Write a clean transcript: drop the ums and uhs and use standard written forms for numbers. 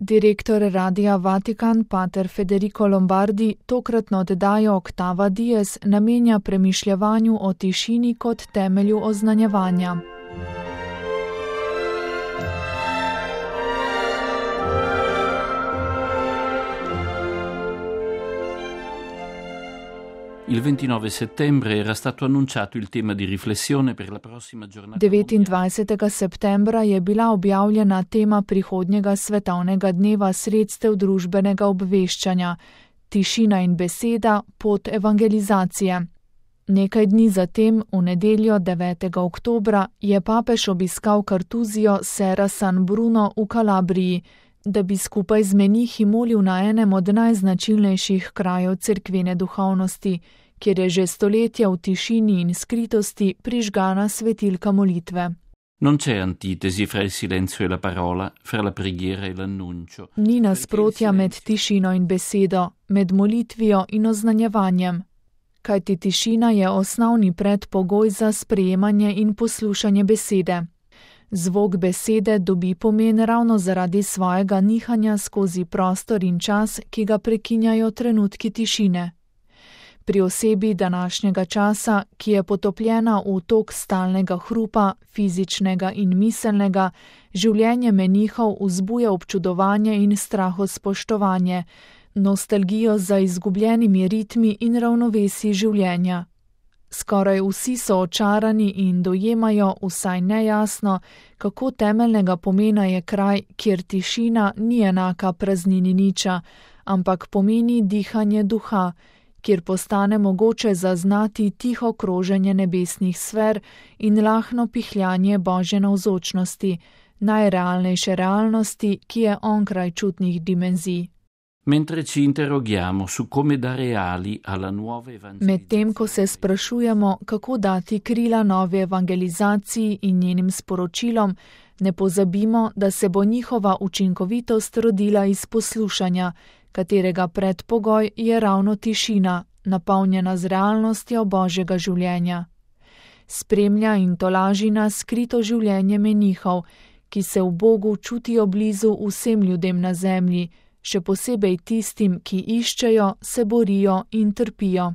Direktor Radia Vatikan pater Federico Lombardi tokratno oddajo Octava Dies namenja premišljevanju o tišini kot temelju oznanjevanja. Il 29 settembre era stato annunciato il tema di riflessione per la prossima giornata. 29. septembra je bila objavljena tema prihodnjega svetovnega dneva sredstev družbenega obveščanja: tišina in beseda, pot evangelizacije. Nekaj dni zatem, v nedeljo 9. oktobra, je papež obiskal Kartuzijo Serra San Bruno v Kalabriji, da bi skupaj z menihi molil na enem od najznačilnejših krajev cerkvene duhovnosti, kjer je že stoletja v tišini in skritosti prižgana svetilka molitve. Non c'è antitesi fra il silenzio e la parola, fra la preghiera e l'annuncio. Ni nasprotja med tišino in besedo, med molitvijo in oznanjevanjem. Kajti tišina je osnovni predpogoj za sprejemanje in poslušanje besede. Zvok besede dobi pomen ravno zaradi svojega nihanja skozi prostor in čas, ki ga prekinjajo trenutki tišine. Pri osebi današnjega časa, ki je potopljena v tok stalnega hrupa, fizičnega in miselnega, življenje menihov vzbuja občudovanje in strahospoštovanje, nostalgijo za izgubljenimi ritmi in ravnovesi življenja. Skoraj vsi so očarani in dojemajo vsaj nejasno, kako temeljnega pomena je kraj, kjer tišina ni enaka praznini niča, ampak pomeni dihanje duha, kjer postane mogoče zaznati tiho kroženje nebesnih sfer in lahno pihljanje Božje navzočnosti, najrealnejše realnosti, ki je onkraj čutnih dimenzij. Mentre ci interroghiamo su come dare ali alla nuova evangelizzazione. Medtem ko se sprašujemo, kako dati krila novi evangelizaciji in njenim sporočilom, ne pozabimo, da se bo njihova učinkovitost rodila iz poslušanja, katerega predpogoj je ravno tišina, napolnjena z realnostjo Božjega življenja. Spremlja in tolaži nas skrito življenje menihov, ki se v Bogu čutijo blizu vsem ljudem na zemlji, še posebej tistim, ki iščejo, se borijo in trpijo.